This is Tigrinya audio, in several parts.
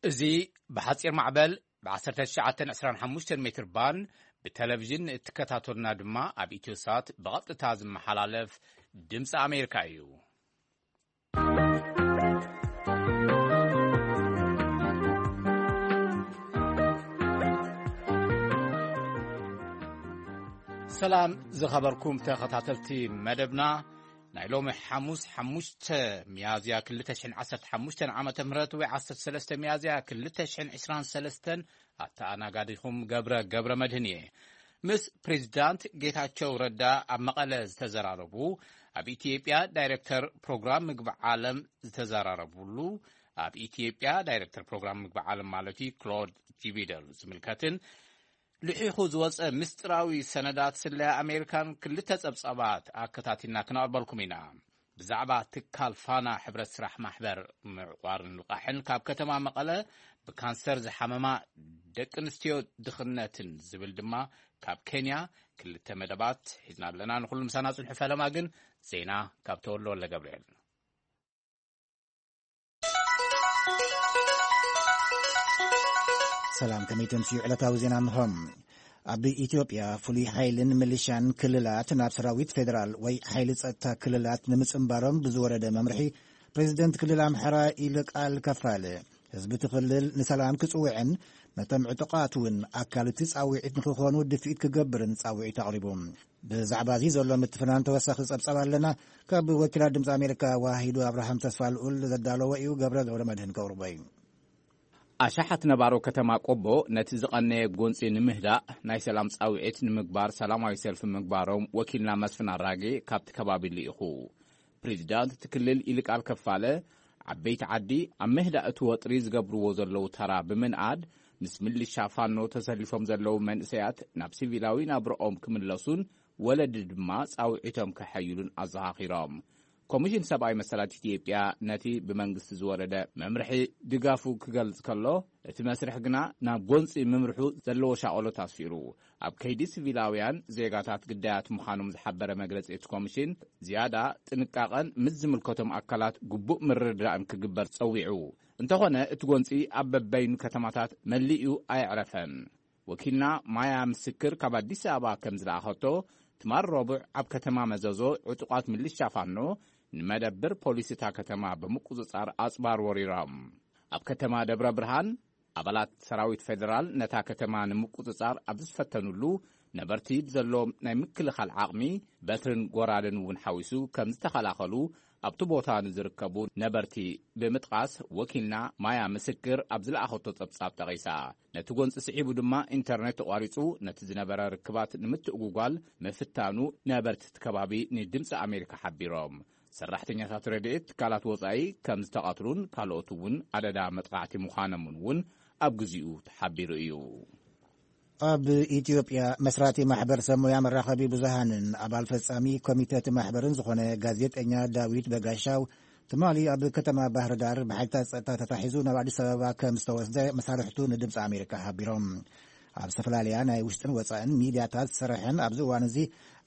እዚ ብሓጺር ማዕበል ብ1925 ሜትር ባንድ ብቴሌቪዥን እትከታተሉና ድማ ኣብ ኢትዮሳት ብቐጥታ ዝመሓላለፍ ድምፂ ኣሜሪካ እዩ። ሰላም ዝኸበርኩም ተኸታተልቲ መደብና፣ ናይ ሎሚ ሓሙስ ሓሙሽተ ሚያዝያ ክልተ ሽሕን ዓሰርተ ሓሙሽተን ዓመተ ምህረት ወይ ዓሰርተ ሰለስተ ሚያዝያ ክልተ ሽሕን ዕስራን ሰለስተን ኣተኣናጋዲኹም ገብረ ገብረ መድህን እየ። ምስ ፕሬዚዳንት ጌታቸው ረዳ ኣብ መቐለ ዝተዘራረቡ፣ ኣብ ኢትዮጵያ ዳይሬክተር ፕሮግራም ምግቢ ዓለም ዝተዘራረቡሉ፣ ኣብ ኢትዮጵያ ዳይሬክተር ፕሮግራም ምግቢ ዓለም ማለት እዩ ክሎድ ጂቢደል ዝምልከትን ልሒኹ ዝወጸ ምስጢራዊ ሰነዳት ስለያ ኣሜሪካን ክልተ ጸብጻባት ኣከታቲልና ክነቕርበልኩም ኢና። ብዛዕባ ትካል ፋና ሕብረት ስራሕ ማሕበር ምዕቋርን ልቓሕን ካብ ከተማ መቐለ ብካንሰር ዝሓመማ ደቂ ኣንስትዮ ድኽነትን ዝብል ድማ ካብ ኬንያ ክልተ መደባት ሒዝና ኣለና። ንኹሉ ምሳና ጽንሑ። ፈለማ ግን ዜና ካብ ተወልደ ወልደ ገብርኤል። ሰላም፣ ከመይ ተምስዩ? ዕለታዊ ዜና እንሆ። ኣብ ኢትዮጵያ ፍሉይ ሓይልን ሚሊሻን ክልላት ናብ ሰራዊት ፌዴራል ወይ ሓይሊ ጸጥታ ክልላት ንምጽንባሮም ብዝወረደ መምርሒ፣ ፕሬዚደንት ክልል ኣምሓራ ይልቃል ከፋለ፣ ህዝቢ እቲ ክልል ንሰላም ክጽውዕን ነቶም ዕጡቓት እውን ኣካል እቲ ጻውዒት ንክኾኑ ድፍኢት ክገብርን ጻውዒት ኣቕሪቡ። ብዛዕባ እዚ ዘሎ ምትፍናን ተወሳኺ ጸብጻብ ኣለና። ካብ ወኪላት ድምፂ ኣሜሪካ ዋሂዱ ኣብርሃም ተስፋ ልኡል ዘዳለዎ እዩ። ገብረ ገብረ መድህን ከቕርቦ እዩ። ኣሽሓት ነባሮ ከተማ ቆቦ ነቲ ዝቐነየ ጎንፂ ንምህዳእ ናይ ሰላም ጻውዒት ንምግባር ሰላማዊ ሰልፊ ምግባሮም ወኪልና መስፍን ኣራጌ ካብቲ ከባቢ ልኢኹ። ፕሬዚዳንት እቲ ክልል ይልቃል ከፋለ፣ ዓበይቲ ዓዲ ኣብ ምህዳእ እቲ ወጥሪ ዝገብርዎ ዘለዉ ተራ ብምንኣድ፣ ምስ ምልሻ ፋኖ ተሰሊፎም ዘለዉ መንእሰያት ናብ ሲቪላዊ ናብርኦም ክምለሱን ወለዲ ድማ ጻውዒቶም ከሐይሉን ኣዘኻኺሮም። ኮሚሽን ሰብኣዊ መሰላት ኢትዮጵያ ነቲ ብመንግስቲ ዝወረደ መምርሒ ድጋፉ ክገልጽ ከሎ፣ እቲ መስርሕ ግና ናብ ጎንጺ ምምርሑ ዘለዎ ሻቐሎት ኣስፊሩ። ኣብ ከይዲ ሲቪላውያን ዜጋታት ግዳያት ምዃኖም ዝሓበረ መግለጺ እቲ ኮሚሽን፣ ዝያዳ ጥንቃቐን ምስ ዝምልከቶም ኣካላት ግቡእ ምርድዳእን ክግበር ጸዊዑ። እንተኾነ፣ እቲ ጎንጺ ኣብ በበይኑ ከተማታት መሊኡ ኣየዕረፈን። ወኪልና ማያ ምስክር ካብ ኣዲስ ኣበባ ከም ዝለኣኸቶ፣ ትማል ረቡዕ ኣብ ከተማ መዘዞ ዕጡቓት ምልሻ ፋኖ ንመደብር ፖሊስ እታ ከተማ ብምቁጽጻር ኣጽባር ወሪሮም። ኣብ ከተማ ደብረ ብርሃን፣ ኣባላት ሰራዊት ፌደራል ነታ ከተማ ንምቁጽጻር ኣብ ዝፈተኑሉ፣ ነበርቲ ብዘለዎም ናይ ምክልኻል ዓቕሚ፣ በትርን ጎራደን እውን ሓዊሱ ከም ዝተኸላኸሉ ኣብቲ ቦታ ንዝርከቡ ነበርቲ ብምጥቓስ፣ ወኪልና ማያ ምስክር ኣብ ዝለኣኸቶ ጸብጻብ ጠቒሳ። ነቲ ጎንጺ ስዒቡ ድማ ኢንተርኔት ተቋሪጹ፣ ነቲ ዝነበረ ርክባት ንምትእጉጓል ምፍታኑ ነበርቲ እቲ ከባቢ ንድምጺ ኣሜሪካ ሓቢሮም። ሰራሕተኛታት ረድኤት ትካላት ወጻኢ ከም ዝተቐትሉን ካልኦት እውን ኣደዳ መጥቓዕቲ ምዃኖምን እውን ኣብ ግዚኡ ተሓቢሩ እዩ። ኣብ ኢትዮጵያ መስራቲ ማሕበር ሰብ ሞያ መራኸቢ ብዙሃንን ኣባል ፈጻሚ ኮሚተ እቲ ማሕበርን ዝኾነ ጋዜጠኛ ዳዊት በጋሻው ትማሊ ኣብ ከተማ ባህር ዳር ብሓይልታት ጸጥታ ተታሒዙ ናብ ኣዲስ ኣበባ ከም ዝተወስደ መሳርሕቱ ንድምፂ ኣሜሪካ ሓቢሮም። ኣብ ዝተፈላለያ ናይ ውሽጥን ወጻእን ሚድያታት ዝሰርሐን ኣብዚ እዋን እዚ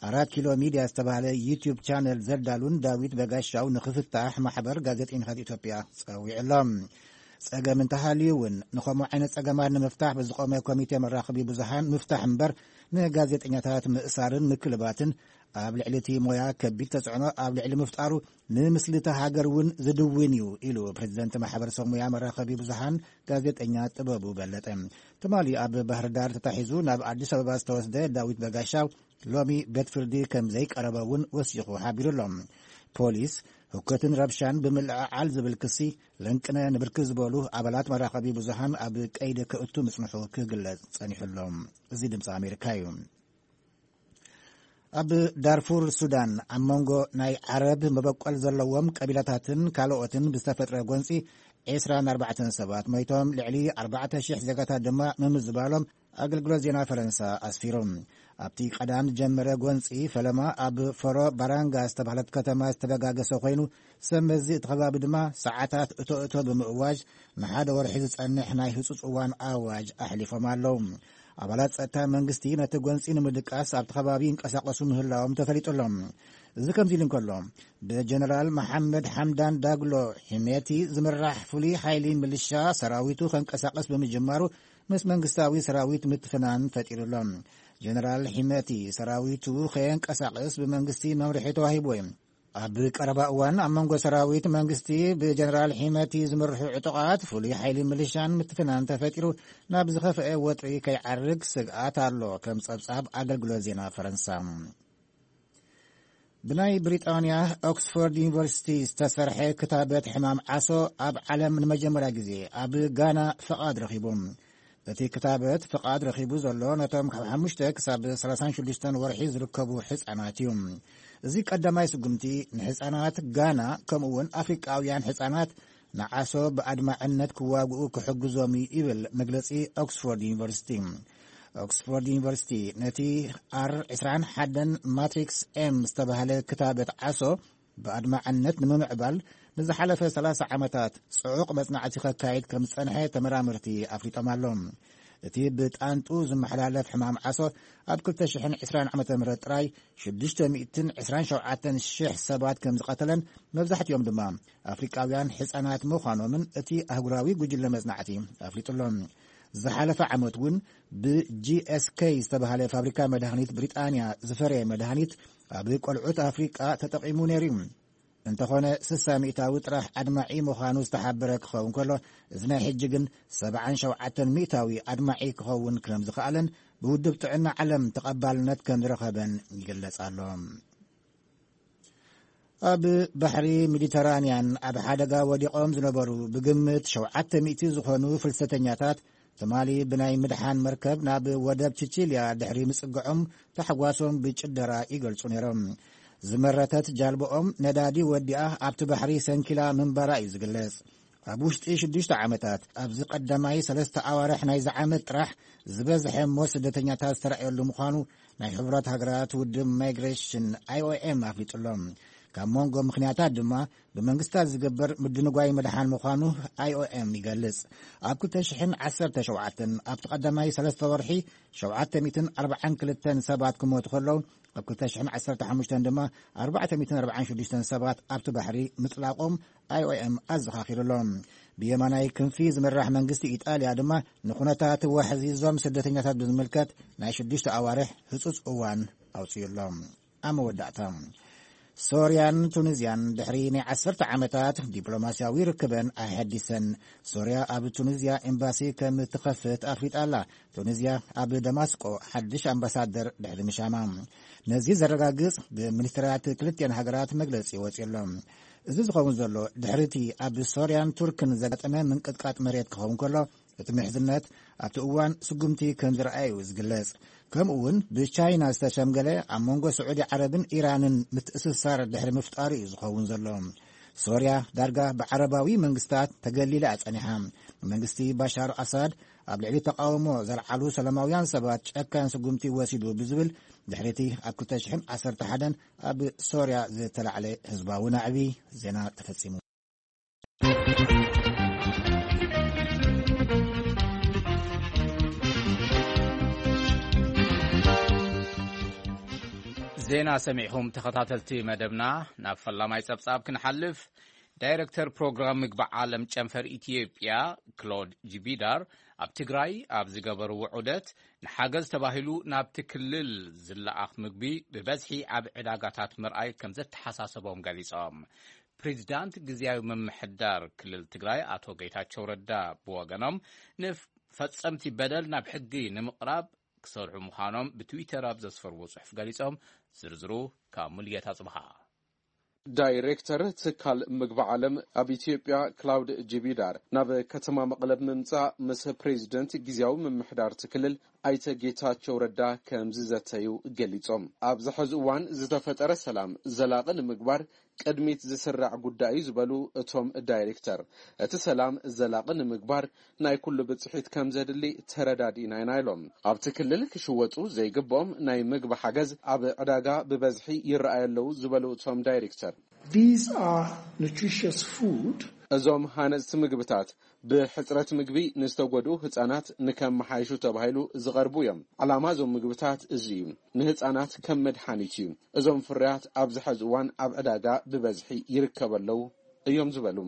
ኣራት ኪሎ ሚድያ ዝተባህለ ዩቲዩብ ቻነል ዘዳሉን ዳዊት በጋሻው ንኽፍታሕ ማሕበር ጋዜጠኛታት ኢትዮጵያ ጸዊዑ ኣሎ። ጸገም እንተሃልዩ እውን ንኸምኡ ዓይነት ጸገማት ንምፍታሕ ብዝቖመ ኮሚቴ መራኸቢ ብዙሃን ምፍታሕ እምበር ንጋዜጠኛታት ምእሳርን ምክልባትን ኣብ ልዕሊ እቲ ሞያ ከቢድ ተጽዕኖ ኣብ ልዕሊ ምፍጣሩ ንምስሊ እታ ሃገር እውን ዝድውን እዩ ኢሉ ፕሬዚደንት ማሕበር ሰብ ሞያ መራኸቢ ብዙሃን ጋዜጠኛ ጥበቡ በለጠ። ትማሊ ኣብ ባህር ዳር ተታሒዙ ናብ ኣዲስ ኣበባ ዝተወስደ ዳዊት በጋሻው ሎሚ ቤት ፍርዲ ከም ዘይቀረበ እውን ወሲኹ ሓቢሩ ኣሎ። ፖሊስ ህውከትን ረብሻን ብምልዕዓል ዝብል ክሲ ለንቅነ ንብርክት ዝበሉ ኣባላት መራኸቢ ብዙሃን ኣብ ቀይዲ ክእቱ ምጽንሑ ክግለጽ ጸኒሑ ኣሎ። እዚ ድምፂ ኣሜሪካ እዩ። ኣብ ዳርፉር ሱዳን ኣብ መንጎ ናይ ዓረብ መበቆል ዘለዎም ቀቢላታትን ካልኦትን ብዝተፈጥረ ጎንፂ ዕስራን ኣርባዕተን ሰባት ሞይቶም፣ ልዕሊ ኣርባዕተ ሽሕ ዜጋታት ድማ ምምዝባሎም ኣገልግሎት ዜና ፈረንሳ ኣስፊሩ። ኣብቲ ቀዳም ዝጀመረ ጎንፂ ፈለማ ኣብ ፈሮ ባራንጋ ዝተባህለት ከተማ ዝተበጋገሰ ኮይኑ፣ ሰብ መዚ እቲ ከባቢ ድማ ሰዓታት እቶ እቶ ብምእዋጅ ንሓደ ወርሒ ዝጸንሕ ናይ ህጹጽ እዋን ኣዋጅ ኣሕሊፎም ኣለዉ። ኣባላት ጸጥታ መንግስቲ ነቲ ጎንጺ ንምድቃስ ኣብቲ ከባቢ ይንቀሳቐሱ ምህላዎም ተፈሊጡ ኣሎ። እዚ ከምዚ ኢሉ እንከሎ፣ ብጀነራል መሓመድ ሓምዳን ዳግሎ ሒሜቲ ዝምራሕ ፍሉይ ሓይሊ ምልሻ ሰራዊቱ ከንቀሳቐስ ብምጅማሩ፣ ምስ መንግስታዊ ሰራዊት ምትፍናን ፈጢሩ ኣሎ። ጀነራል ሒሜቲ ሰራዊቱ ከየንቀሳቐስ ብመንግስቲ መምርሒ ተዋሂብዎ እዩ። ኣብ ቀረባ እዋን ኣብ መንጎ ሰራዊት መንግስቲ ብጀነራል ሒመቲ ዝምርሑ ዕጡቓት ፍሉይ ሓይሊ ምልሻን ምትፍናን ተፈጢሩ፣ ናብ ዝኸፍአ ወጥሪ ከይዓርግ ስግኣት ኣሎ፣ ከም ጸብጻብ ኣገልግሎት ዜና ፈረንሳ። ብናይ ብሪጣንያ ኦክስፎርድ ዩኒቨርሲቲ ዝተሰርሐ ክታበት ሕማም ዓሶ ኣብ ዓለም ንመጀመርያ ግዜ ኣብ ጋና ፍቓድ ረኺቡ። እቲ ክታበት ፍቓድ ረኺቡ ዘሎ ነቶም ካብ ሓሙሽተ ክሳብ ሰላሳን ሽዱሽተን ወርሒ ዝርከቡ ሕጻናት እዩ። እዚ ቀዳማይ ስጉምቲ ንሕጻናት ጋና ከምኡ እውን ኣፍሪቃውያን ሕጻናት ንዓሶ ብኣድማዕነት ክዋግኡ ክሕግዞም እዩ ይብል መግለጺ ኦክስፎርድ ዩኒቨርሲቲ። ኦክስፎርድ ዩኒቨርሲቲ ነቲ ኣር ዕስራን ሓደን ማትሪክስ ኤም ዝተባህለ ክታበት ዓሶ ብኣድማዕነት ንምምዕባል ንዝሓለፈ ሰላሳ ዓመታት ጽዑቕ መጽናዕቲ ከካይድ ከም ዝጸንሐ ተመራመርቲ ኣፍሊጦም ኣለዉ። እቲ ብጣንጡ ዝመሓላለፍ ሕማም ዓሶ ኣብ ክልተ ሽሕን ዕስራን ዓመተ ምህረት ጥራይ ሽዱሽተ ሚእትን ዕስራን ሸውዓተን ሽሕ ሰባት ከም ዝቐተለን፣ መብዛሕትኦም ድማ ኣፍሪቃውያን ሕጻናት ምዃኖምን እቲ ኣህጉራዊ ጉጅለ መጽናዕቲ ኣፍሊጡ ኣሎ። ዝሓለፈ ዓመት እውን ብጂ ኤስ ኬይ ዝተባህለ ፋብሪካ መድሃኒት ብሪጣንያ ዝፈረየ መድሃኒት ኣብ ቆልዑት ኣፍሪቃ ተጠቒሙ ነይሩ እዩ። እንተኾነ፣ ስሳ ሚእታዊ ጥራሕ ኣድማዒ ምዃኑ ዝተሓበረ ክኸውን ከሎ፣ እዚ ናይ ሕጂ ግን ሰብዓን ሸውዓተን ሚእታዊ ኣድማዒ ክኸውን ከም ዝኸኣለን ብውድብ ጥዕና ዓለም ተቐባልነት ከም ዝረኸበን ይግለጽ ኣሎ። ኣብ ባሕሪ ሜዲተራንያን ኣብ ሓደጋ ወዲቖም ዝነበሩ ብግምት ሸውዓተ ሚእቲ ዝኾኑ ፍልሰተኛታት ትማሊ ብናይ ምድሓን መርከብ ናብ ወደብ ቺቺልያ ድሕሪ ምጽግዖም ታሕጓሶም ብጭደራ ይገልጹ ነይሮም። ዝመረተት ጃልቦኦም ነዳዲ ወዲኣ ኣብቲ ባሕሪ ሰንኪላ ምንባራ እዩ ዝግለጽ። ኣብ ውሽጢ ሽዱሽተ ዓመታት ኣብዚ ቀዳማይ ሰለስተ ኣዋርሕ ናይዚ ዓመት ጥራሕ ዝበዝሐ ሞት ስደተኛታት ዝተራእየሉ ምዃኑ ናይ ሕቡራት ሃገራት ውድብ ማይግሬሽን፣ ኣይ ኦ ኤም፣ ኣፍሊጡ ኣሎ። ካብ መንጎ ምኽንያታት ድማ ብመንግስታት ዝግበር ምድንጓይ ምድሓን ምዃኑ ኣይ ኦ ኤም ይገልጽ። ኣብ ክልተ ሽሕን ዓሰርተ ሸውዓተን ኣብቲ ቀዳማይ ሰለስተ ወርሒ ሸውዓተ ሚእትን ኣርባዓን ክልተን ሰባት ክሞቱ ከለዉ፣ ኣብ ክልተ ሽሕን ዓሰርተ ሓሙሽተን ድማ ኣርባዕተ ሚእትን ኣርባዓን ሽዱሽተን ሰባት ኣብቲ ባሕሪ ምጥላቖም ኣይ ኦ ኤም ኣዘኻኺሩ ኣሎ። ብየማናይ ክንፊ ዝምራሕ መንግስቲ ኢጣልያ ድማ ንኩነታት ዋሕዚ እዞም ስደተኛታት ብዝምልከት ናይ ሽዱሽተ ኣዋርሕ ህጹጽ እዋን ኣውጺኡ ኣሎ። ኣብ መወዳእታ፣ ሶርያን ቱኒዝያን ድሕሪ ናይ ዓሰርተ ዓመታት ዲፕሎማስያዊ ርክበን ኣሐዲሰን። ሶርያ ኣብ ቱኒዝያ ኤምባሲ ከም ትኸፍት ኣፍሊጣ ኣላ። ቱኒዝያ ኣብ ደማስቆ ሓድሽ ኣምባሳደር ድሕሪ ምሻማ። ነዚ ዘረጋግጽ ብሚኒስትራት ክልቲኣን ሃገራት መግለጺ ወጺኡ ኣሎ። እዚ ዝኸውን ዘሎ ድሕሪ እቲ ኣብ ሶርያን ቱርክን ዘጋጠመ ምንቅጥቃጥ መሬት ክኸውን ከሎ፣ እቲ ምሕዝነት ኣብቲ እዋን ስጉምቲ ከም ዝረኣየ እዩ ዝግለጽ። ከምኡ እውን ብቻይና ዝተሸምገለ ኣብ መንጎ ስዑዲ ዓረብን ኢራንን ምትእስሳር ድሕሪ ምፍጣሩ እዩ ዝኸውን ዘሎ። ሶርያ ዳርጋ ብዓረባዊ መንግስታት ተገሊላ እያ ጸኒሓ። መንግስቲ ባሻር ኣሳድ ኣብ ልዕሊ ተቃውሞ ዘልዓሉ ሰላማውያን ሰባት ጨካን ስጉምቲ ወሲዱ ብዝብል ድሕሪ እቲ ኣብ ክልተ ሽሕን ዓሰርተ ሓደን ኣብ ሶርያ ዝተላዕለ ህዝባዊ ናዕቢ። ዜና ተፈጺሙ። ዜና ሰሚዕኹም ተኸታተልቲ መደብና። ናብ ፈላማይ ጸብጻብ ክንሓልፍ፣ ዳይረክተር ፕሮግራም ምግቢ ዓለም ጨንፈር ኢትዮጵያ ክሎድ ጂቢዳር ኣብ ትግራይ ኣብ ዝገበርዎ ዑደት፣ ንሓገዝ ተባሂሉ ናብቲ ክልል ዝለኣኽ ምግቢ ብበዝሒ ኣብ ዕዳጋታት ምርኣይ ከም ዘተሓሳሰቦም ገሊጾም። ፕሬዚዳንት ግዝያዊ ምምሕዳር ክልል ትግራይ ኣቶ ጌታቸው ረዳ ብወገኖም፣ ንፈጸምቲ በደል ናብ ሕጊ ንምቕራብ ክሰርሑ ምዃኖም ብትዊተር ኣብ ዘስፈርዎ ጽሑፍ ገሊጾም። ዝርዝሩ ካብ ሙልጌታ ጽብሃ። ዳይሬክተር ትካል ምግቢ ዓለም ኣብ ኢትዮጵያ ክላውድ ጂቢዳር ናብ ከተማ መቐለ ብምምጻእ ምስ ፕሬዚደንት ግዝያዊ ምምሕዳር እቲ ክልል ኣይተ ጌታቸው ረዳ ከም ዝዘተዩ ገሊጾም። ኣብዚ ሕዚ እዋን ዝተፈጠረ ሰላም ዘላቒ ንምግባር ቅድሚት ዝስራዕ ጉዳይ እዩ ዝበሉ እቶም ዳይሬክተር፣ እቲ ሰላም ዘላቒ ንምግባር ናይ ኩሉ ብጽሒት ከም ዘድሊ ተረዳዲእና ኢና ኢሎም። ኣብቲ ክልል ክሽወጡ ዘይግብኦም ናይ ምግቢ ሓገዝ ኣብ ዕዳጋ ብበዝሒ ይረኣዩ ኣለዉ ዝበሉ እቶም ዳይሬክተር፣ These are nutritious food። እዞም ሃነፅቲ ምግብታት ብሕጽረት ምግቢ ንዝተጎድኡ ህጻናት ንከመሓይሹ ተባሂሉ ዝቐርቡ እዮም። ዓላማ እዞም ምግብታት እዚ እዩ። ንህጻናት ከም መድሓኒት እዩ። እዞም ፍርያት ኣብዚ ሕዚ እዋን ኣብ ዕዳጋ ብበዝሒ ይርከቡ ኣለዉ እዮም ዝበሉ።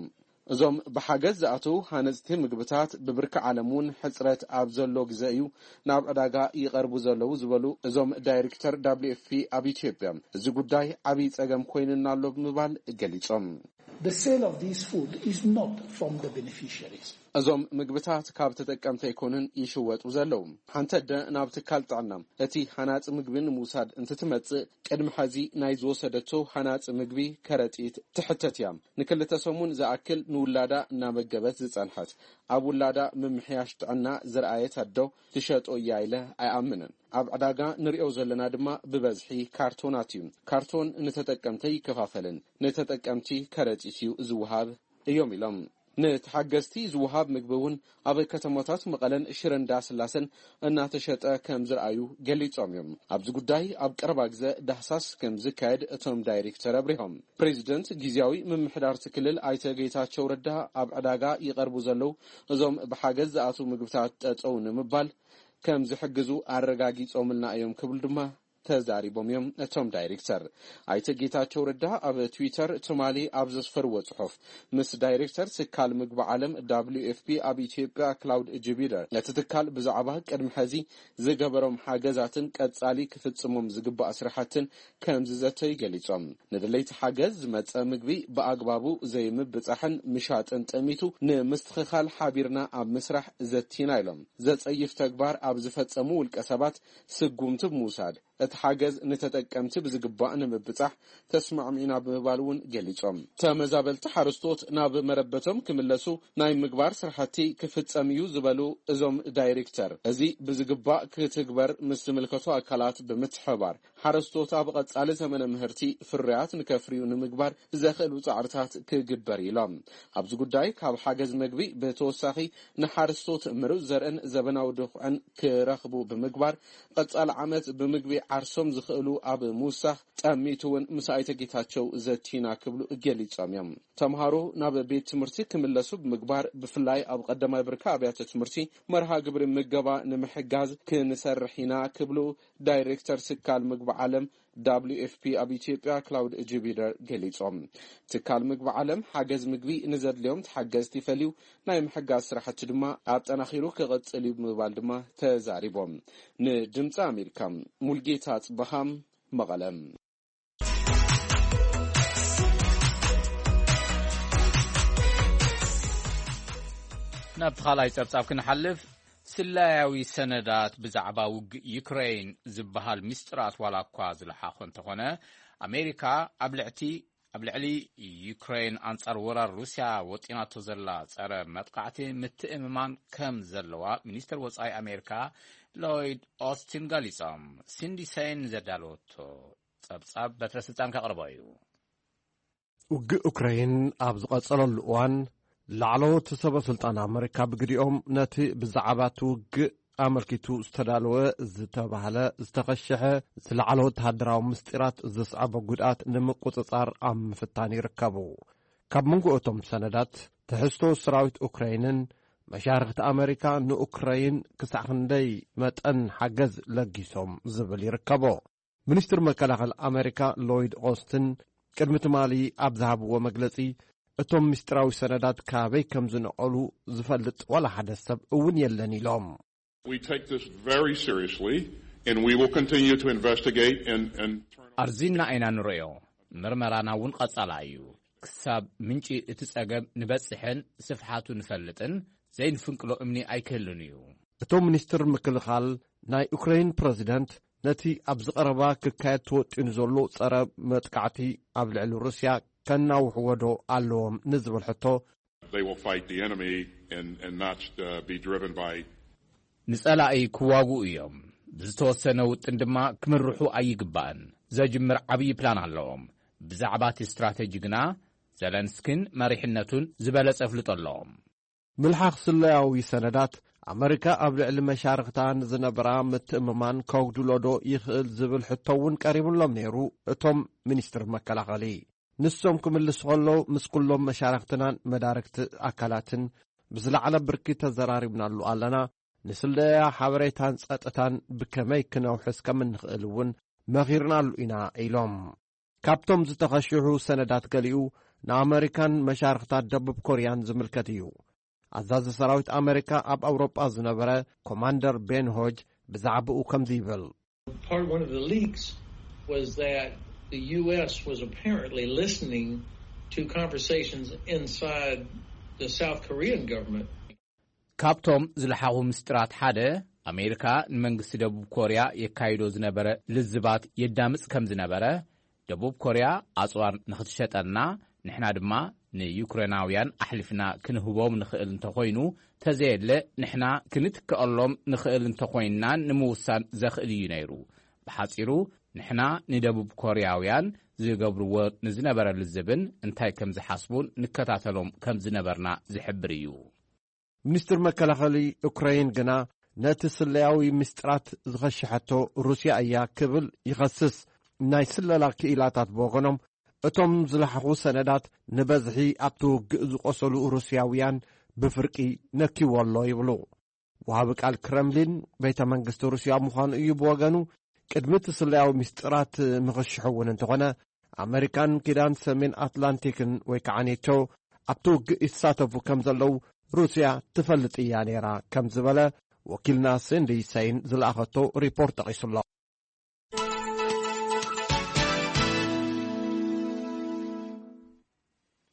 እዞም ብሓገዝ ዝኣተዉ ሃነጽቲ ምግብታት ብብርኪ ዓለም እውን ሕጽረት ኣብ ዘሎ ግዘ እዩ ናብ ዕዳጋ ይቐርቡ ዘለዉ ዝበሉ እዞም ዳይሬክተር ደብሊው ኤፍ ፒ ኣብ ኢትዮጵያ፣ እዚ ጉዳይ ዓብዪ ጸገም ኮይኑና ኣሎ ብምባል ገሊጾም። The sale of this food is not from the beneficiaries. እዞም ምግብታት ካብ ተጠቀምቲ ኣይኮኑን ይሽወጡ ዘለዉ። ሓንቲ ኣደ ናብ ትካል ጥዕና እቲ ሃናጺ ምግቢ ንምውሳድ እንትትመጽእ፣ ቅድሚ ሐዚ ናይ ዝወሰደቶ ሃናጺ ምግቢ ከረጢት ትሕተት እያ። ንክልተ ሰሙን ዝኣክል ንውላዳ እናመገበት ዝጸንሐት፣ ኣብ ውላዳ ምምሕያሽ ጥዕና ዝረኣየት ኣዶ ትሸጦ እያ ኢለ ኣይኣምንን። ኣብ ዕዳጋ ንሪኦ ዘለና ድማ ብበዝሒ ካርቶናት እዩ። ካርቶን ንተጠቀምቲ ኣይከፋፈልን፣ ንተጠቀምቲ ከረጢት እዩ ዝወሃብ እዮም ኢሎም። ንተሓገዝቲ ዝወሃብ ምግቢ እውን ኣብ ከተማታት መቐለን ሽረ እንዳስላሰን እናተሸጠ ከም ዝረኣዩ ገሊጾም እዮም። ኣብዚ ጉዳይ ኣብ ቀረባ ግዘ ዳህሳስ ከም ዝካየድ እቶም ዳይሬክተር ኣብሪሆም። ፕሬዚደንት ግዝያዊ ምምሕዳር እቲ ክልል ኣይተ ጌታቸው ረዳ ኣብ ዕዳጋ ይቐርቡ ዘለዉ እዞም ብሓገዝ ዝኣትዉ ምግብታት ጠጠው ንምባል ከም ዝሕግዙ ኣረጋጊጾምልና እዮም ክብሉ ድማ ተዛሪቦም እዮም። እቶም ዳይሬክተር ኣይተ ጌታቸው ረዳ ኣብ ትዊተር ትማሊ ኣብ ዘስፈርዎ ጽሑፍ፣ ምስ ዳይሬክተር ትካል ምግቢ ዓለም ደብሊው ኤፍ ፒ ኣብ ኢትዮጵያ ክላውድ ጅቢደር ነቲ ትካል ብዛዕባ ቅድሚ ሐዚ ዝገበሮም ሓገዛትን ቀጻሊ ክፍጽሞም ዝግባእ ስራሕትን ከም ዝዘተዩ ገሊጾም። ንድለይቲ ሓገዝ ዝመጸ ምግቢ ብኣግባቡ ዘይምብጻሕን ምሻጥን ጠሚቱ ንምስትኽኻል ሓቢርና ኣብ ምስራሕ ዘቲና ኢሎም። ዘጸይፍ ተግባር ኣብ ዝፈጸሙ ውልቀ ሰባት ስጉምቲ ብምውሳድ እቲ ሓገዝ ንተጠቀምቲ ብዝግባእ ንምብጻሕ ተስማዕሚዕና ብምባል እውን ገሊጾም። ተመዛበልቲ ሓረስቶት ናብ መረበቶም ክምለሱ ናይ ምግባር ስራሕቲ ክፍጸም እዩ ዝበሉ እዞም ዳይሬክተር፣ እዚ ብዝግባእ ክትግበር ምስ ዝምልከቱ ኣካላት ብምትሕባር ሓረስቶት ኣብ ቀጻሊ ዘመነ ምህርቲ ፍርያት ንከፍርዩ ንምግባር ዘኽእሉ ጻዕርታት ክግበር ኢሎም። ኣብዚ ጉዳይ ካብ ሓገዝ ምግቢ ብተወሳኺ ንሓረስቶት ምሩፅ ዘርእን ዘበናዊ ድኹዕን ክረኽቡ ብምግባር ቀጻሊ ዓመት ብምግቢ ዓርሶም ዝኽእሉ ኣብ ምውሳኽ ጠሚቱ እውን ምስ ኣይተ ጌታቸው ዘቲና ክብሉ ገሊጾም እዮም። ተምሃሮ ናብ ቤት ትምህርቲ ክምለሱ ብምግባር ብፍላይ ኣብ ቀዳማይ ብርኪ ኣብያተ ትምህርቲ መርሃ ግብሪ ምገባ ንምሕጋዝ ክንሰርሕ ኢና ክብሉ ዳይሬክተር ትካል ምግቢ ዓለም ደብሊው ኤፍ ፒ ኣብ ኢትዮጵያ ክላውድ ጅቢደር ገሊጾም። ትካል ምግቢ ዓለም ሓገዝ ምግቢ ንዘድልዮም ተሓገዝቲ ፈልዩ ናይ ምሕጋዝ ስራሕቲ ድማ ኣጠናኺሩ ክቕጽል እዩ ብምባል ድማ ተዛሪቦም። ንድምፂ ኣሜሪካ ሙልጌታ ጽበሃም መቐለም። ናብቲ ካልኣይ ጸብጻብ ክንሓልፍ፣ ስለያዊ ሰነዳት ብዛዕባ ውግእ ዩክሬን ዝበሃል ምስጢራት ዋላ እኳ ዝለሓኾ እንተኾነ፣ ኣሜሪካ ኣብ ልዕቲ-፣ ኣብ ልዕሊ ዩክሬን ኣንጻር ወራር ሩስያ ወጢናቶ ዘላ ጸረ መጥቃዕቲ ምትእምማን ከም ዘለዋ ሚኒስተር ወጻኢ ኣሜሪካ ሎይድ ኦስቲን ገሊጾም። ሲንዲ ሰይን ዘዳለወቶ ጸብጻብ በትረ ስልጣን ከቕርቦ እዩ። ውግእ ኡክራይን ኣብ ዝቐጸለሉ እዋን፣ ላዕለዎት ሰበ ስልጣን ኣመሪካ ብግዲኦም ነቲ ብዛዕባ እቲ ውግእ ኣመልኪቱ ዝተዳለወ ዝተባህለ ዝተኸሸሐ ዝለዓለ ወተሃደራዊ ምስጢራት ዘስዓቦ ጉድኣት ንምቁጽጻር ኣብ ምፍታን ይርከቡ። ካብ መንጎ እቶም ሰነዳት፣ ትሕዝቶ ሰራዊት ኡክራይንን መሻርኽቲ ኣመሪካ ንኡክራይን ክሳዕ ክንደይ መጠን ሓገዝ ለጊሶም ዝብል ይርከቦ። ሚኒስትር መከላኸሊ ኣመሪካ ሎይድ ኦስትን ቅድሚ ትማሊ ኣብ ዝሃብዎ መግለጺ፣ እቶም ምስጢራዊ ሰነዳት ካበይ ከም ዝነቐሉ ዝፈልጥ ዋላ ሓደ ሰብ እውን የለን ኢሎም። We take this very seriously, and we will continue to investigate and, and turn ኣርዚና ኢና ንርእዮ፣ ምርመራና እውን ቀጻላ እዩ። ክሳብ ምንጪ እቲ ጸገም ንበጽሕን ስፍሓቱ ንፈልጥን ዘይንፍንቅሎ እምኒ ኣይክህልን እዩ። እቶም ሚኒስትር ምክልኻል፣ ናይ ኡክራይን ፕረዚደንት ነቲ ኣብዚ ቀረባ ክካየድ ተወጢኑ ዘሎ ጸረ መጥቃዕቲ ኣብ ልዕሊ ሩስያ ከናውሕዎ ዶ ኣለዎም ንዝብል ሕቶ፣ They will fight the enemy and, and not, uh, be driven by ንጸላኢ ክዋግኡ እዮም። ብዝተወሰነ ውጥን ድማ ክምርሑ ኣይግባእን። ዘጅምር ዓብዪ ፕላን ኣለዎም። ብዛዕባ እቲ ስትራተጂ ግና፣ ዘለንስኪን መሪሕነቱን ዝበለጸ ኣፍልጦ ኣለዎም። ምልሓኽ ስለያዊ ሰነዳት ኣመሪካ ኣብ ልዕሊ መሻርኽታ ንዝነበራ ምትእምማን ከጉድሎ ዶ ይኽእል ዝብል ሕቶ እውን ቀሪቡሎም ነይሩ። እቶም ሚኒስትር መከላኸሊ ንሶም ክምልሱ ከለዉ፣ ምስ ኩሎም መሻርኽትናን መዳርግቲ ኣካላትን ብዝለዓለ ብርኪ ተዘራሪብናሉ ኣለና። ንስለያ ሓበሬታን ጸጥታን ብከመይ ክነውሕስ ከም እንኽእል እውን መኺርናሉ ኢና ኢሎም። ካብቶም ዝተኸሽሑ ሰነዳት ገሊኡ ንኣመሪካን መሻርኽታት ደቡብ ኮርያን ዝምልከት እዩ። ኣዛዚ ሰራዊት ኣመሪካ ኣብ ኣውሮጳ ዝነበረ ኮማንደር ቤን ሆጅ ብዛዕባኡ ከምዚ ይብል። Part one of the leaks was that the U S was apparently listening to conversations inside the South Korean government. ካብቶም ዝለሓኹ ምስጢራት ሓደ ኣሜሪካ ንመንግስቲ ደቡብ ኮርያ የካይዶ ዝነበረ ልዝባት የዳምጽ ከም ዝነበረ፣ ደቡብ ኮርያ ኣጽዋር ንኽትሸጠልና ንሕና ድማ ንዩክሬናውያን ኣሕሊፍና ክንህቦም ንኽእል እንተኾይኑ፣ ተዘየለ ንሕና ክንትክኣሎም ንኽእል እንተኾይንና ንምውሳን ዘኽእል እዩ ነይሩ። ብሓጺሩ ንሕና ንደቡብ ኮርያውያን ዝገብርዎ ንዝነበረ ልዝብን እንታይ ከም ዝሓስቡን ንከታተሎም ከም ዝነበርና ዝሕብር እዩ። ሚኒስትር መከላኸሊ ዩክረይን ግና ነቲ ስለያዊ ምስጢራት ዝኸሸሐቶ ሩስያ እያ ክብል ይኸስስ። ናይ ስለላ ክኢላታት ብወገኖም እቶም ዝለሓኹ ሰነዳት ንበዝሒ ኣብቲ ውግእ ዝቆሰሉ ሩስያውያን ብፍርቂ ነኪዎ ኣሎ ይብሉ። ወሃቢ ቃል ክረምሊን ቤተ መንግስቲ ሩስያ ምዃኑ እዩ ብወገኑ። ቅድሚ እቲ ስለያዊ ምስጢራት ምኽሽሑ እውን እንተኾነ ኣመሪካን ኪዳን ሰሜን ኣትላንቲክን ወይ ከዓ ኔቶ ኣብቲ ውግእ ይሳተፉ ከም ዘለዉ ሩስያ ትፈልጥ እያ ነይራ ከም ዝበለ ወኪልና ሲንዲ ሰይን ዝለኣኸቶ ሪፖርት ጠቒሱ ኣሎ።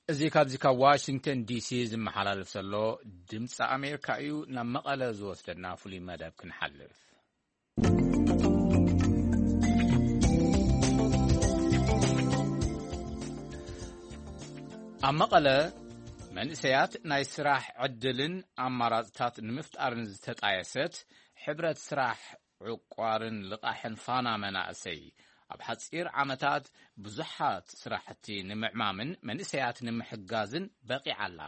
እዚ ካብዚ ካብ ዋሽንግተን ዲሲ ዝመሓላለፍ ዘሎ ድምፂ ኣሜሪካ እዩ። ናብ መቐለ ዝወስደና ፍሉይ መደብ ክንሓልፍ። ኣብ መቐለ መንእሰያት ናይ ስራሕ ዕድልን ኣማራፅታት ንምፍጣርን ዝተጣየሰት ሕብረት ስራሕ ዕቋርን ልቓሕን ፋና መናእሰይ ኣብ ሓፂር ዓመታት ብዙሓት ስራሕቲ ንምዕማምን መንእሰያት ንምሕጋዝን በቒዓ ኣላ።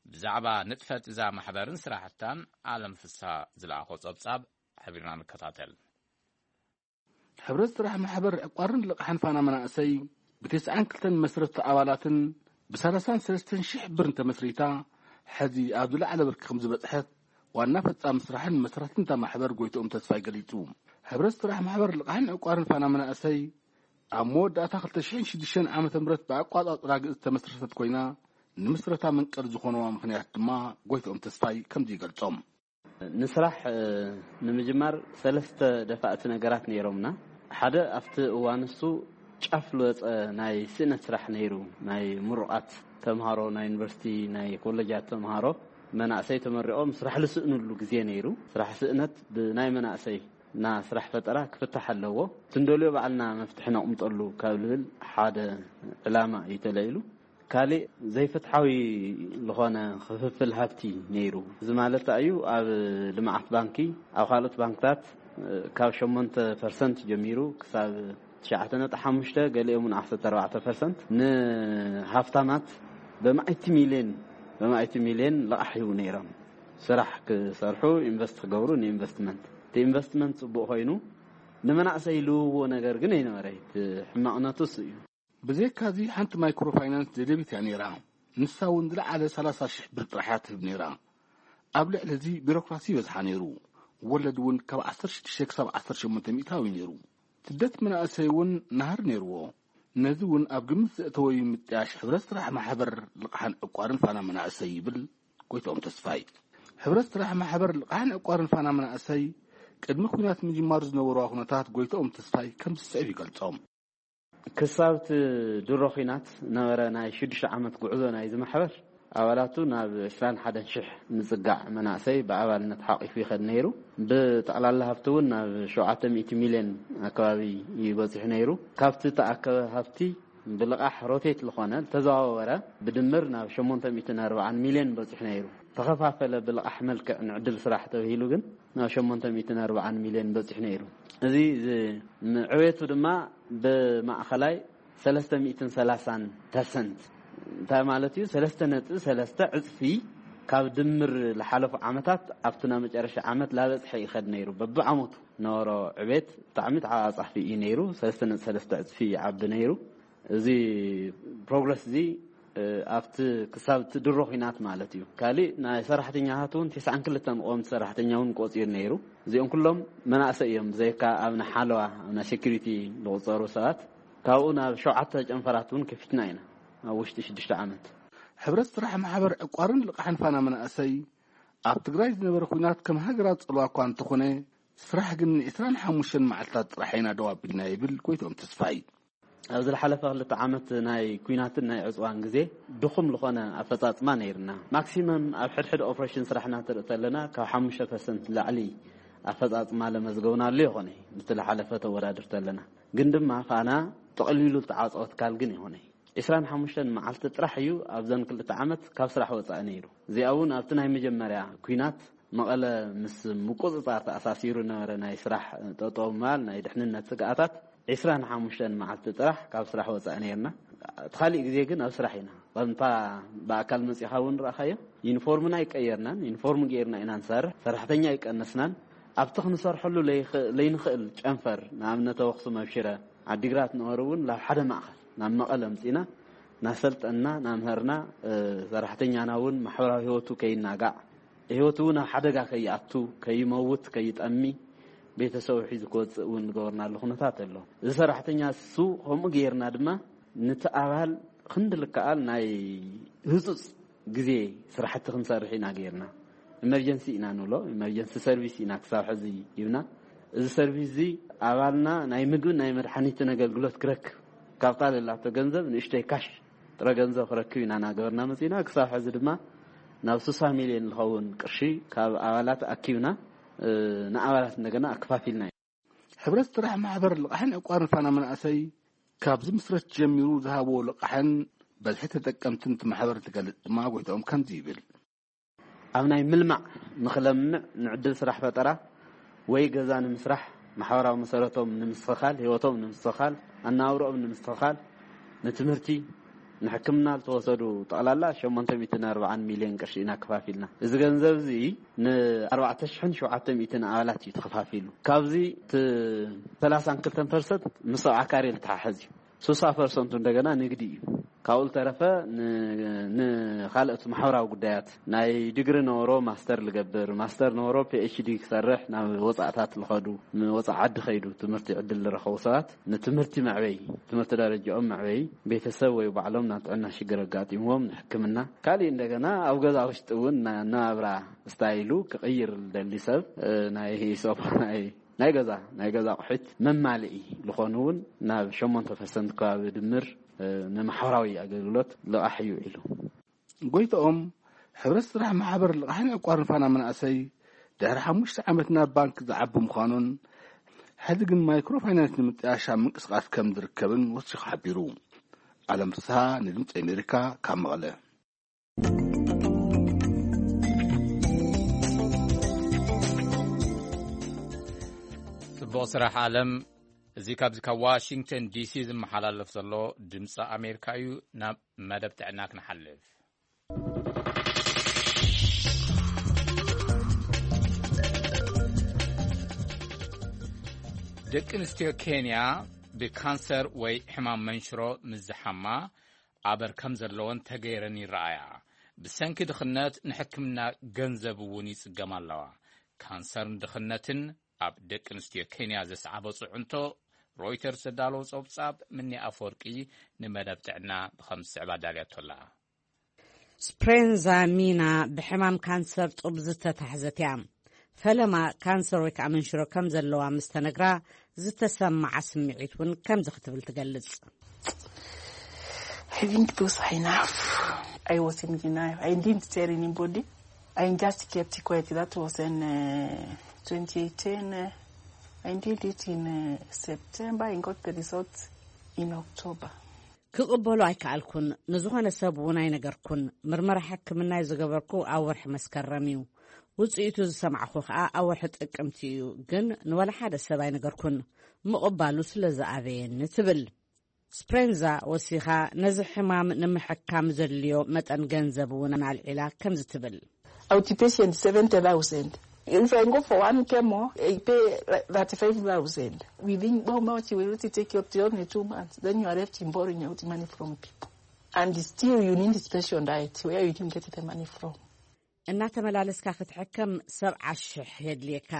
ብዛዕባ ንጥፈት እዛ ማሕበርን ስራሕታን ኣለም ፍሳ ዝለኣኾ ጸብጻብ ሓቢርና ንከታተል። ሕብረት ስራሕ ማሕበር ዕቋርን ልቕሓን ፋና መናእሰይ ብተስዓን ክልተን መስረቲ ኣባላትን ብሰላሳን ሰለስተን ሽሕ ብርን ተመስሪታ፣ ሕዚ ኣብ ዝለዓለ ብርኪ ከም ዝበጽሐት ዋና ፈጻሚ ስራሕን መስራትን እታ ማሕበር ጎይትኦም ተስፋይ ገሊጹ። ሕብረት ስራሕ ማሕበር ልቕሓን ዕቋርን ፋና መናእሰይ ኣብ መወዳእታ ክልተ ሽሕን ሽዱሽተን ዓመተ ምህረት ብኣቋጻጽራ ግእዝ ዝተመስረተት ኮይና፣ ንምስረታ መንቀሊ ዝኾነዋ ምኽንያት ድማ ጎይትኦም ተስፋይ ከምዚ ይገልጾም። ንስራሕ ንምጅማር ሰለስተ ደፋእቲ ነገራት ነይሮምና። ሓደ ኣብቲ እዋን እሱ ጫፍ ልወፀ ናይ ስእነት ስራሕ ነይሩ። ናይ ምሩቓት ተምሃሮ፣ ናይ ዩኒቨርሲቲ ናይ ኮለጃት ተምሃሮ መናእሰይ ተመሪቖም ስራሕ ልስእንሉ ግዜ ነይሩ። ስራሕ ስእነት ብናይ መናእሰይ እና ስራሕ ፈጠራ ክፍታሕ ኣለዎ። ትንደልዮ ባዕልና መፍትሒ ነቕምጠሉ ካብ ልብል ሓደ ዕላማ እዩ ተለዒሉ። ካሊእ ዘይፍትሓዊ ዝኾነ ክፍፍል ሃብቲ ነይሩ። እዚ ማለት እዩ ኣብ ልምዓት ባንኪ ኣብ ካልኦት ባንክታት ካብ ሸሞንተ ፐርሰንት ጀሚሩ ክሳብ ትሽዓተ ነጥቢ ሓሙሽተ ገሊኦም እውን ዓሰርተ ኣርባዕተ ፐርሰንት ንሃፍታማት በማእቲ ሚልዮን በማእቲ ሚልዮን ልቓሕ ሂቡ ነይሮም። ስራሕ ክሰርሑ ኢንቨስት ክገብሩ ንኢንቨስትመንት እቲ ኢንቨስትመንት ፅቡቕ ኮይኑ ንመናእሰይ ልውዎ ነገር ግን ኣይነበረ። እቲ ሕማቕነቱ እሱ እዩ። ብዘይካዚ ሓንቲ ማይክሮ ፋይናንስ ደደቢት እያ ነይራ። ንሳ እውን ዝለዓለ ሰላሳ ሽሕ ብር ጥራሕ እያ ትህብ ነይራ። ኣብ ልዕሊ እዚ ቢሮክራሲ ይበዝሓ ነይሩ። ወለድ እውን ካብ ዓሰርተ ሽዱሽተ ክሳብ ዓሰርተ ሸሞንተ ሚእታዊ ነይሩ። ስደት መናእሰይ እውን ናህሪ ነይርዎ። ነዚ እውን ኣብ ግምት ዘእተወ እዩ ምጥያሽ ሕብረት ስራሕ ማሕበር ልቕሓን ዕቋርን ፋና መናእሰይ ይብል ጎይትኦም ተስፋይ። ሕብረት ስራሕ ማሕበር ልቕሓን ዕቋርን ፋና መናእሰይ ቅድሚ ኩናት ምጅማሩ ዝነበርዋ ኩነታት ጎይትኦም ተስፋይ ከም ዝስዕብ ይገልጾም። ክሳብ እቲ ድሮ ኺናት ነበረ ናይ ሽዱሽተ ዓመት ጉዕዞ ናይዚ ማሕበር ኣባላቱ ናብ ዕስራን ሓደን ሽሕ ንጽጋዕ መናእሰይ ብኣባልነት ሓቒፉ ይኸድ ነይሩ። ብጠቕላላ ሃብቲ እውን ናብ ሸውዓተ ሚእቲ ሚልዮን ኣከባቢ እዩ በጺሑ ነይሩ። ካብቲ እተኣከበ ሃብቲ ብልቓሕ ሮቴት ዝኾነ ዝተዘዋወረ ብድምር ናብ ሸሞንተ ሚእትን ኣርባዓን ሚልዮን በጺሑ ነይሩ። ተኸፋፈለ ብልቓሕ መልክዕ ንዕድል ስራሕ ተባሂሉ ግን ናብ ሸሞንተ ሚእትን ኣርባዓን ሚልዮን በጺሑ ነይሩ። እዚ ዝ- ዕቤቱ ድማ ብማእኸላይ ሰለስተ ሚእትን ሰላሳን ፐርሰንት እንታይ ማለት እዩ? ሰለስተ ነጥቢ ሰለስተ ዕፅፊ ካብ ድምር ዝሓለፉ ዓመታት ኣብቲ ናብ መጨረሻ ዓመት ላበፅሐ ይኸድ ነይሩ። በብዓመቱ ነበሮ ዕቤት ብጣዕሚ ተዓፃፊ እዩ ነይሩ። ሰለስተ ነጥቢ ሰለስተ ዕፅፊ ይዓቢ ነይሩ። እዚ ፕሮግረስ እዚ ኣብቲ ክሳብ እቲ ድሮ ኲናት ማለት እዩ። ካሊእ ናይ ሰራሕተኛታት እውን ተስዓን ክልተን ቀወምቲ ሰራሕተኛ እውን ቆፂሩ ነይሩ። እዚኦም ኩሎም መናእሰይ እዮም፣ ብዘይካ ኣብ ናይ ሓለዋ፣ ኣብ ናይ ሴኩሪቲ ዝቑፀሩ ሰባት። ካብኡ ናብ ሸውዓተ ጨንፈራት እውን ከፊትና ኢና ኣብ ውሽጢ ሽዱሽተ ዓመት። ሕብረት ስራሕ ማሕበር ዕቋርን ልቓሕን ፋና መናእሰይ ኣብ ትግራይ ዝነበረ ኲናት ከም ሃገራት ፀልዋ እኳ እንተኾነ፣ ስራሕ ግን ን ዕስራን ሓሙሽተን መዓልታት ጥራሕ ኢና ደው ኣቢልና ይብል ጎይትኦም ተስፋይ። ኣብ ዝሓለፈ ክልተ ዓመት ናይ ኲናትን ናይ ዕፅዋን ግዜ ድኹም ዝኾነ ኣፈፃፅማ ነይርና። ማክሲመም ኣብ ሕድሕድ ኦፕሬሽን ስራሕና ትርኢ ተለና ካብ ሓሙሽተ ፐርሰንት ላዕሊ ኣፈፃፅማ ለመዝገብናሉ ይኾነ፣ ምስቲ ዝሓለፈ ተወዳድር ተለና። ግን ድማ ፋና ጥቕሊሉ ዝተዓፀወ ትካል ግን ይኾነ። ዕስራን ሓሙሽተን መዓልቲ ጥራሕ እዩ ኣብዘን ክልተ ዓመት ካብ ስራሕ ወፃኢ ነይሩ። እዚኣ እውን ኣብቲ ናይ መጀመርያ ኲናት መቐለ ምስ ምቁፅፃር ተኣሳሲሩ ነበረ ናይ ስራሕ ጠጠው ምባል፣ ናይ ድሕንነት ስግኣታት። ዕስራን ሓሙሽተን መዓልቲ ጥራሕ ካብ ስራሕ ወፃኢ ነይርና። እቲ ካሊእ ግዜ ግን ኣብ ስራሕ ኢና። ከምታ ብኣካል መፂኻ እውን ረኣኻዮ፣ ዩኒፎርምና ኣይቀየርናን። ዩኒፎርም ገይርና ኢና ንሰርሕ። ሰራሕተኛ ኣይቀነስናን። ኣብቲ ክንሰርሐሉ ለይኽ-፣ ለይንኽእል ጨንፈር፣ ንኣብነት ኣብ ኣኽሱም፣ ኣብ ሽረ፣ ዓዲግራት ነበሩ እውን ናብ ሓደ ማእኸል ናብ መቐለ ኣምፂና እናሰልጠንና እናምሀርና፣ እ፣ ሰራሕተኛና እውን ማሕበራዊ ህይወቱ ከይናጋዕ፣ ህይወቱ እውን ኣብ ሓደጋ ከይኣቱ፣ ከይመውት፣ ከይጠሚ፣ ቤተሰቡ ሒዙ ክወፅእ እውን ዝገበርናሉ ኩነታት ኣሎ። እዚ ሰራሕተኛ እሱ ከምኡ ገይርና ድማ ነቲ ኣባል ክንዲ ልከኣል ናይ ህፁፅ ግዜ ስራሕቲ ክንሰርሕ ኢና ገይርና። ኢመርጀንሲ ኢና ንብሎ፣ ኢመርጀንሲ ሰርቪስ ኢና ክሳብ ሕዚ ይብና። እዚ ሰርቪስ እዚ ኣባልና ናይ ምግብን ናይ መድሓኒትን ኣገልግሎት ክረክብ፣ ካብታ ዘላቶ ገንዘብ ንእሽተይ ካሽ ጥረ ገንዘብ ክረክብ ኢና እናገበርና መፂና። ክሳብ ሕዚ ድማ ናብ ስሳ ሚልዮን ዝኸውን ቅርሺ ካብ ኣባላት ኣኪብና፣ እ፣ ንኣባላት እንደገና ኣከፋፊልና ኢና። ሕብረት ስራሕ ማሕበር ልቓሕን ዕቋርን ፋና መናእሰይ ካብ ዝምስረት ጀሚሩ ዝሃብዎ ልቓሕን በዝሒ ተጠቀምትን እቲ ማሕበር እንትገልጽ ድማ ጎይትኦም ከምዚ ይብል። ኣብ ናይ ምልማዕ ንኽለምዕ፣ ንዕድል ስራሕ ፈጠራ ወይ ገዛ ንምስራሕ፣ ማሕበራዊ መሰረቶም ንምስትኽኻል፣ ህይወቶም ንምስትኽኻል፣ ኣነባብርኦም ንምስትኽኻል፣ ንትምህርቲ፣ ንሕክምና ዝተወሰዱ ጠቕላላ ሸሞንተ ሚእትን ኣርባዓን ሚልዮን ቅርሺ ኢና ከፋፊልና። እዚ ገንዘብ እዚ ን ኣርባዕተ ሽሕን ሸውዓተ ሚእትን ኣባላት እዩ ተኸፋፊሉ። ካብዚ እቲ ሰላሳን ክልተን ፐርሰንት ምስ ሰብዓ ካሬ ዝተሓሓዝ እዩ። ስሳ ፐርሰንቱ እንደገና ንግዲ እዩ። ካብኡ ዝተረፈ ን-፣ ንኻልኦት ማሕበራዊ ጉዳያት፣ ናይ ዲግሪ ነበሮ ማስተር ልገብር፣ ማስተር ነበሮ ፒ ኤች ዲ ክሰርሕ ናብ ወፃእታት ልኸዱ፣ ንወፃእ ዓዲ ኸይዱ ትምህርቲ ዕድል ዝረኸቡ ሰባት ንትምህርቲ መዕበይ፣ ትምህርቲ ደረጃኦም መዕበይ፣ ቤተሰብ ወይ ባዕሎም ናብ ጥዕና ሽግር ኣጋጢምዎም ንሕክምና፣ ካሊእ እንደገና ኣብ ገዛ ውሽጢ እውን ና-፣ ናብራ ስታይሉ ክቕይር ዝደሊ ሰብ፣ እ፣ ናይ ሶፋ፣ ናይ፣ ናይ ገዛ፣ ናይ ገዛ ኣቑሑት መማልኢ ዝኾኑ እውን ናብ ሸሞንተ ፐርሰንት ከባቢ ድምር፣ እ፣ ንማሕበራዊ ኣገልግሎት ልቓሕ እዩ ውዒሉ። ጎይትኦም፣ ሕብረት ስራሕ ማሕበር ልቓሕን ዕቋርን ፋና መናእሰይ ድሕሪ ሓሙሽተ ዓመት ናብ ባንክ ዝዓቢ ምዃኑን፣ ሕዚ ግን ማይክሮ ፋይናንስ ንምጥያሽ ኣብ ምንቅስቓስ ከም ዝርከብን ወሲኹ ሓቢሩ። ኣለም ፍስሃ ንድምፂ ኣሜሪካ ካብ መቐለ። ጽቡቕ ስራሕ ኣለም። እዚ ካብዚ ካብ ዋሽንግተን ዲ ሲ ዝመሓላለፍ ዘሎ ድምፂ ኣሜሪካ እዩ። ናብ መደብ ጥዕና ክንሓልፍ። ደቂ ኣንስትዮ ኬንያ ብካንሰር ወይ ሕማም መንሽሮ ምስ ዝሓማ ኣበር ከም ዘለወን ተገይረን ይረኣያ። ብሰንኪ ድኽነት ንሕክምና ገንዘብ እውን ይጽገማ ኣለዋ። ካንሰርን ድኽነትን ኣብ ደቂ ኣንስትዮ ኬንያ ዘስዓቦ ጽዕንቶ ሮይተርስ ዘዳለዎ ጸብጻብ ምኒ ኣፈወርቂ ንመደብ ጥዕና ብኸም ዝስዕብ ኣዳልያቶ ኣላ። ስፕሬንዛ ሚና ብሕማም ካንሰር ጡብ ዝተታሕዘት እያ። ፈለማ ካንሰር ወይ ከዓ መንሽሮ ከም ዘለዋ ምስ ተነግራ ዝተሰማዓ ስምዒት እውን ከምዚ ክትብል ትገልጽ። I think those are enough. I was in denial. I didn't tell anybody. I just kept quiet. That was in uh, twenty eighteen. Uh, I did it in uh, September. I got the results in October. ክቕበሎ ኣይከኣልኩን። ንዝኾነ ሰብ እውን ኣይነገርኩን። ምርመራ ሕክምናይ ዝገበርኩ ኣብ ወርሒ መስከረም እዩ። ውፅኢቱ ዝሰማዕኹ ከዓ ኣብ ወርሒ ጥቅምቲ እዩ። ግን ንወላ ሓደ ሰብ ኣይነገርኩን። ምቕባሉ ስለ ዝኣበየኒ ትብል። ስፕሬንዛ ወሲኻ ነዚ ሕማም ንምሕካም ዘድልዮ መጠን ገንዘብ እውን ኣልዒላ ከምዚ ትብል። Outpatient seventy thousand. If I go for one chemo, I pay thirty-five thousand. Within how much will it take you up to only two months? Then you are left in borrowing out money from people. And still, you need special diet where you didn't get the money from. እናተመላለስካ ክትሕከም ሰብዓ ሽሕ የድልየካ።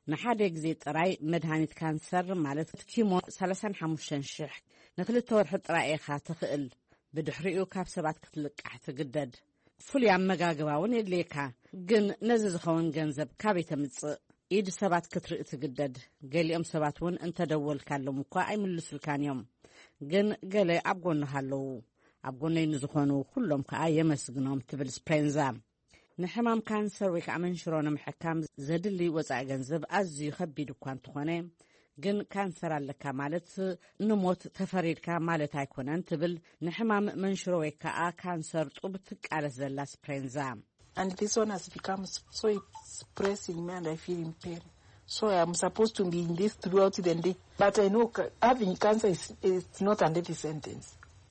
ንሓደ ግዜ ጥራይ መድሃኒት ካንሰር ማለት ኪሞ ሰላሳን ሓሙሽተን ሽሕ፣ ንክልተ ወርሒ ጥራይ ኢኻ ትኽእል። ብድሕሪኡ ካብ ሰባት ክትልቃሕ ትግደድ። ፍሉይ ኣመጋግባ እውን የድልየካ። ግን ነዚ ዝኸውን ገንዘብ ካበይ ተምጽእ? ኢድ ሰባት ክትርኢ ትግደድ። ገሊኦም ሰባት እውን እንተደወልካሎም እኳ ኣይምልሱልካን እዮም። ግን ገለ ኣብ ጎንኻ ኣለዉ። ኣብ ጎነይ ንዝኾኑ ኩሎም ከኣ የመስግኖም፣ ትብል ስፕሬንዛ። ንሕማም ካንሰር ወይ ከዓ መንሽሮ ንምሕካም ዘድሊ ወፃኢ ገንዘብ ኣዝዩ ከቢድ እኳ እንተኾነ፣ ግን ካንሰር ኣለካ ማለት ንሞት ተፈሪድካ ማለት ኣይኮነን፣ ትብል ንሕማም መንሽሮ ወይ ከዓ ካንሰር ጡብ ትቃለስ ዘላ ስፕሬንዛ። And this one has become so it's pressing me and I feel in pain. So I'm supposed to be in this throughout the day. But I know ca- having cancer is, is not a death sentence.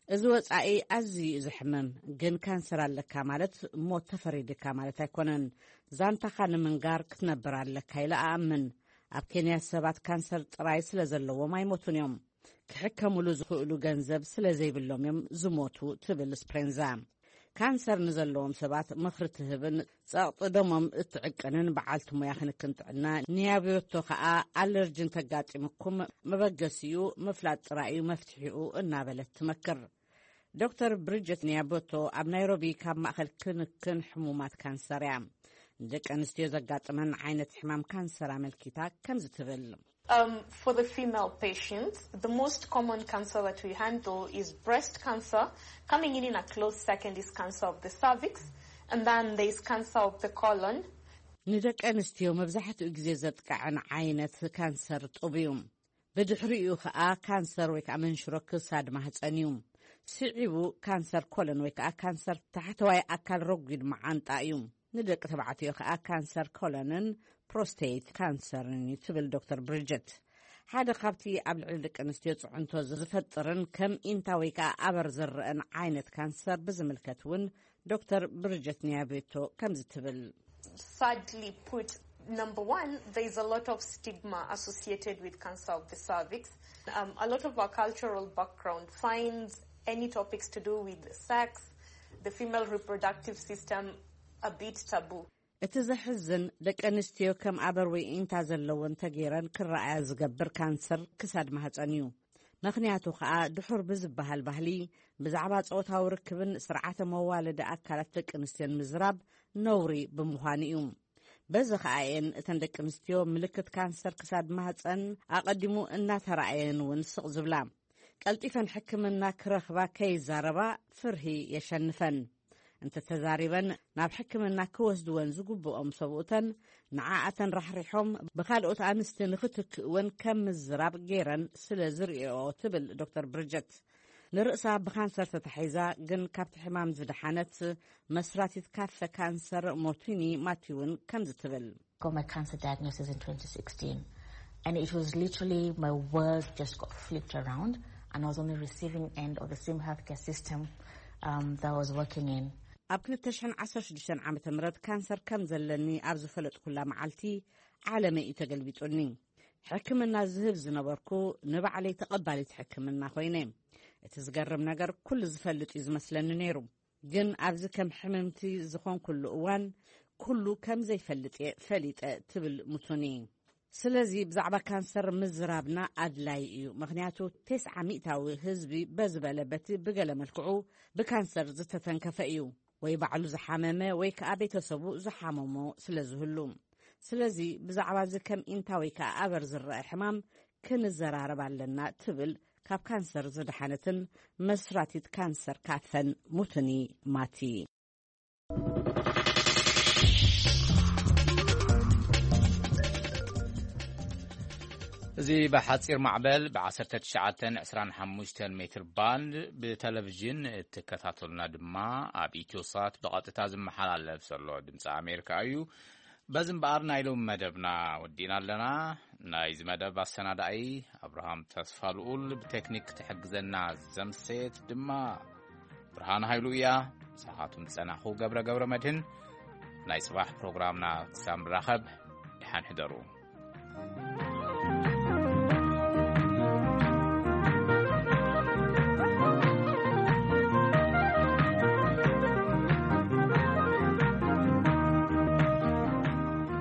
እዚ ወጻኢ ኣዝዩ እዩ ዘሕምም። ግን ካንሰር ኣለካ ማለት ሞት ተፈሪድካ ማለት ኣይኮነን። ዛንታኻ ንምንጋር ክትነብር ኣለካ ኢለ ኣኣምን። ኣብ ኬንያ ሰባት ካንሰር ጥራይ ስለ ዘለዎም ኣይሞቱን እዮም። ክሕከሙሉ ዝኽእሉ ገንዘብ ስለ ዘይብሎም እዮም ዝሞቱ፣ ትብል ስፕሬንዛ። ካንሰር ንዘለዎም ሰባት ምኽሪ ትህብን ጸቕጢ ደሞም እትዕቅንን በዓልቲ ሞያ ክንክን ጥዕና ኒያብዮቶ ከኣ፣ ኣለርጅን ተጋጢምኩም መበገሲኡ ምፍላጥ ጥራይ እዩ መፍትሒኡ እናበለት ትመክር። ዶክተር ብሪጀት ኒያቦቶ ኣብ ናይሮቢ ካብ ማእኸል ክንክን ሕሙማት ካንሰር እያ። ንደቂ ኣንስትዮ ዘጋጥመን ዓይነት ሕማም ካንሰር ኣመልኪታ ከምዚ ትብል። Um, for the female patients, the most common cancer that we handle is breast cancer. Coming in in a close second is cancer of the cervix, and then there is cancer of the colon. ንደቂ ኣንስትዮ መብዛሕትኡ ግዜ ዘጥቅዐን ዓይነት ካንሰር ጡብ እዩ። ብድሕሪኡ ከኣ ካንሰር ወይ ከዓ መንሽሮ ክሳድ ማህፀን እዩ። ስዒቡ ካንሰር ኮለን ወይ ከዓ ካንሰር ታሕተዋይ ኣካል ረጒድ መዓንጣ እዩ። ንደቂ ተባዕትዮ ከኣ ካንሰር ኮለንን ፕሮስቴት ካንሰርን እዩ፣ ትብል ዶክተር ብሪጀት። ሓደ ካብቲ ኣብ ልዕሊ ደቂ ኣንስትዮ ጽዕንቶ ዝፈጥርን ከም ኢንታ ወይ ከኣ ኣበር ዝረአን ዓይነት ካንሰር ብዝምልከት እውን ዶክተር ብሪጀት ኒያቤቶ ከምዚ ትብል። Sadly put, number one, there is a lot of stigma associated with cancer of the cervix. Um, a lot of our cultural background finds any topics to do with sex, the female reproductive system, a bit taboo. እቲ ዘሕዝን፣ ደቂ ኣንስትዮ ከም ኣበር ወይ ኢንታ ዘለወን ተገይረን ክረኣያ ዝገብር ካንሰር ክሳድ ማህፀን እዩ። ምኽንያቱ ከኣ ድሑር ብዝበሃል ባህሊ ብዛዕባ ጾታዊ ርክብን ስርዓተ መዋለዲ ኣካላት ደቂ ኣንስትዮን ምዝራብ ነውሪ ብምዃኑ እዩ። በዚ ከኣ እየን እተን ደቂ ኣንስትዮ ምልክት ካንሰር ክሳድ ማህፀን ኣቐዲሙ እናተራእየን እውን ስቕ ዝብላ። ቀልጢፈን ሕክምና ክረኽባ ከይዛረባ ፍርሂ የሸንፈን። እንተተዛሪበን ናብ ሕክምና ክወስድወን ዝግብኦም ሰብኡተን ንዓኣተን ራሕሪሖም ብኻልኦት ኣንስቲ ንኽትክእወን ከም ምዝራብ ገይረን ስለ ዝርእኦ፣ ትብል ዶክተር ብሪጀት። ንርእሳ ብካንሰር ተታሒዛ ግን ካብቲ ሕማም ዝደሓነት መስራቲት ካፈ ካንሰር ሞቲኒ ማቲ እውን ከምዚ ትብል። Got my cancer diagnosis in twenty sixteen, and it was literally my world just got flipped around, and I was on the receiving end of the same healthcare system um, that I was working in. ኣብ ክልተ ሽሕን ዓሰርተ ሽዱሽተን ዓመተ ምህረት ካንሰር ከም ዘለኒ ኣብ ዝፈለጥኩላ መዓልቲ ዓለመይ እዩ ተገልቢጡኒ። ሕክምና ዝህብ ዝነበርኩ ንባዕለይ ተቐባሊት ሕክምና ኮይነ። እቲ ዝገርም ነገር ኩሉ ዝፈልጥ እዩ ዝመስለኒ ነይሩ። ግን ኣብዚ ከም ሕምምቲ ዝኾንኩሉ እዋን ኩሉ ከም ዘይፈልጥ እየ ፈሊጠ፣ ትብል ሙቱኒ። ስለዚ ብዛዕባ ካንሰር ምዝራብና ኣድላይ እዩ፣ ምኽንያቱ ተስዓ ሚእታዊ ህዝቢ በዝበለ በቲ ብገለ መልክዑ ብካንሰር ዝተተንከፈ እዩ፣ ወይ ባዕሉ ዝሓመመ ወይ ከኣ ቤተሰቡ ዝሓመሞ ስለ ዝህሉ። ስለዚ ብዛዕባ እዚ ከም ኢንታ ወይ ከኣ ኣበር ዝረአ ሕማም ክንዘራረብ ኣለና፣ ትብል ካብ ካንሰር ዝደሓነትን መስራቲት ካንሰር ካፈን ሙቱኒ ማቲ። እዚ ብሓጺር ማዕበል ብ19 25 ሜትር ባንድ ብቴሌቪዥን እትከታተሉና ድማ ኣብ ኢትዮሳት ብቐጥታ ዝመሓላለፍ ዘሎ ድምፂ ኣሜሪካ እዩ። በዚ እምበኣር ናይ ሎም መደብና ወዲእና ኣለና። ናይዚ መደብ ኣሰናዳኢ ኣብርሃም ተስፋ ልኡል፣ ብቴክኒክ ትሕግዘና ዘምሰየት ድማ ብርሃን ሃይሉ እያ። ምሳኻትኩም ዝጸናኹ ገብረ ገብረ መድህን። ናይ ጽባሕ ፕሮግራምና ክሳብ ንራኸብ፣ ደሓን ሕደሩ።